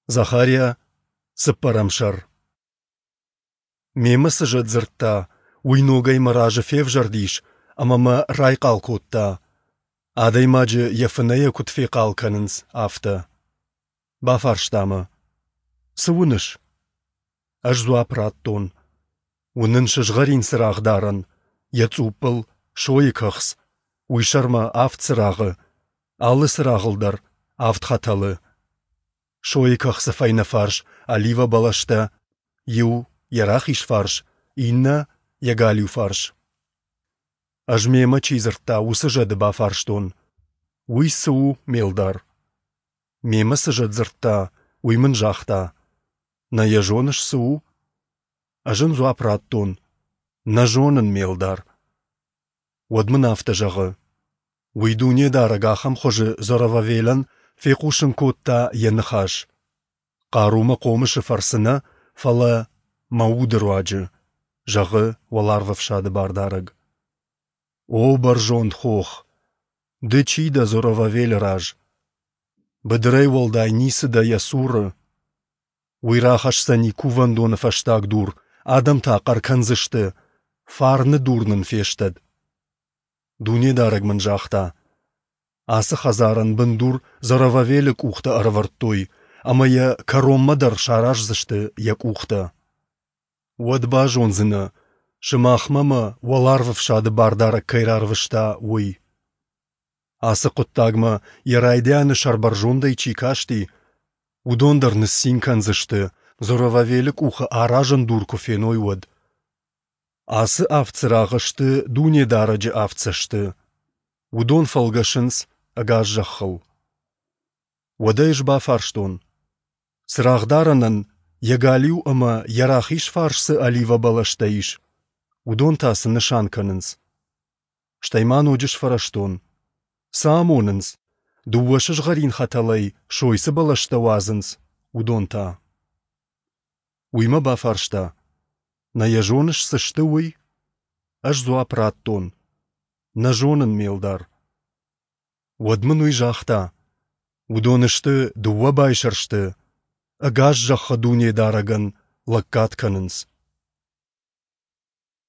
Захария, цыппӕрӕм сӕр. Мемӕ цы зӕд дзырдта, уый ногӕй мӕ разы февзӕрдис ӕмӕ мӕ райхъал кодта, адӕймаджы йӕ фынӕйӕ куыд фехъал кӕнынц, афтӕ. Бафарста мӕ: Цы уыныс? Ӕз дзуапп радтон: Уынын сызгъӕрин цырагъдарӕн, йӕ цъуппыл сойы кӕхц, уый сӕрмӕ авд цырагъы, алы цырагъыл дӕр авд хӕтӕлы. Сойы кӕхцы фӕйнӕ фарс оливӕ бӕлӕстӕ, иу йӕ рахиз фарс, иннӕ йӕ галиу фарс. Ӕз мемӕ чи дзырдта, уыцы зӕды бафарстон: Уый цы у, ме лдар? Мемӕ цы зӕд дзырдта, уый мын загъта: Нӕ йӕ зоныс, цы у? Ӕз ын дзуапп радтон: Нӕ зонын, ме лдар. Уӕд мын афтӕ зӕгъы: Уый Дунедарӕг ахӕм хуызы Зоровавелӕн фехъусын кодта йӕ ныхас. Хъару мӕ хъомысы фӕрцы нӕ, фӕлӕ мӕ уды руаджы, зӕгъы Уӕларвӕфсады Бардарӕг. О бӕрзонд хох, ды чи дӕ Зоровавелы раз? Быдырӕй уӕлдай ницы дӕ йӕ цуры. Уый рахӕсдзӕни кувӕндоны фӕстаг дур, адӕм та хъӕр кӕндзысты: Фарны дур нын фестӕд! Дунедарӕг мын загъта: Ацы хӕдзарӕн бындур Зоровавелы къухтӕ ӕрӕвӕрдтой, ӕмӕ йӕ кӕронмӕ дӕр сараздзысты йӕ къухтӕ. Уӕд базондзынӕ, сымахмӕ мӕ Уӕларвӕфсады Бардарӕг кӕй рарвыста, уый. Ацы хъуыддагмӕ йӕ райдианы сӕрбӕрзондӕй чи касти, уыдон дӕр ныццин кӕндзысты, Зоровавелы къухы аразӕн дур куы феной, уӕд. Ацы авд цырагъы сты Дунедарӕджы авд цӕсты. Уыдон фӕлгӕсынц ӕгас зӕххыл. Уӕд ӕй ӕз бафарстон: Цырагъдарӕнӕн йӕ галиу ӕмӕ йӕ рахиз фарс цы оливӕ бӕлӕстӕ ис, уыдон та цы нысан кӕнынц? Стӕй ма ноджы сфӕрӕзтон: Цы амонынц, дыууӕ сызгъӕрин хӕтӕлӕй сой цы бӕлӕстӕ уадзынц, уыдон та? Уый мӕ бафарста: Нӕ йӕ зоныс, цы сты, уый? Ӕз дзуапп радтон: Нӕ зонын, ме лдар. Уӕд мын уый загъта: Уыдон сты дыууӕ байсӕрсты, ӕгас зӕххы Дунедарӕгӕн лӕггад кӕнынц.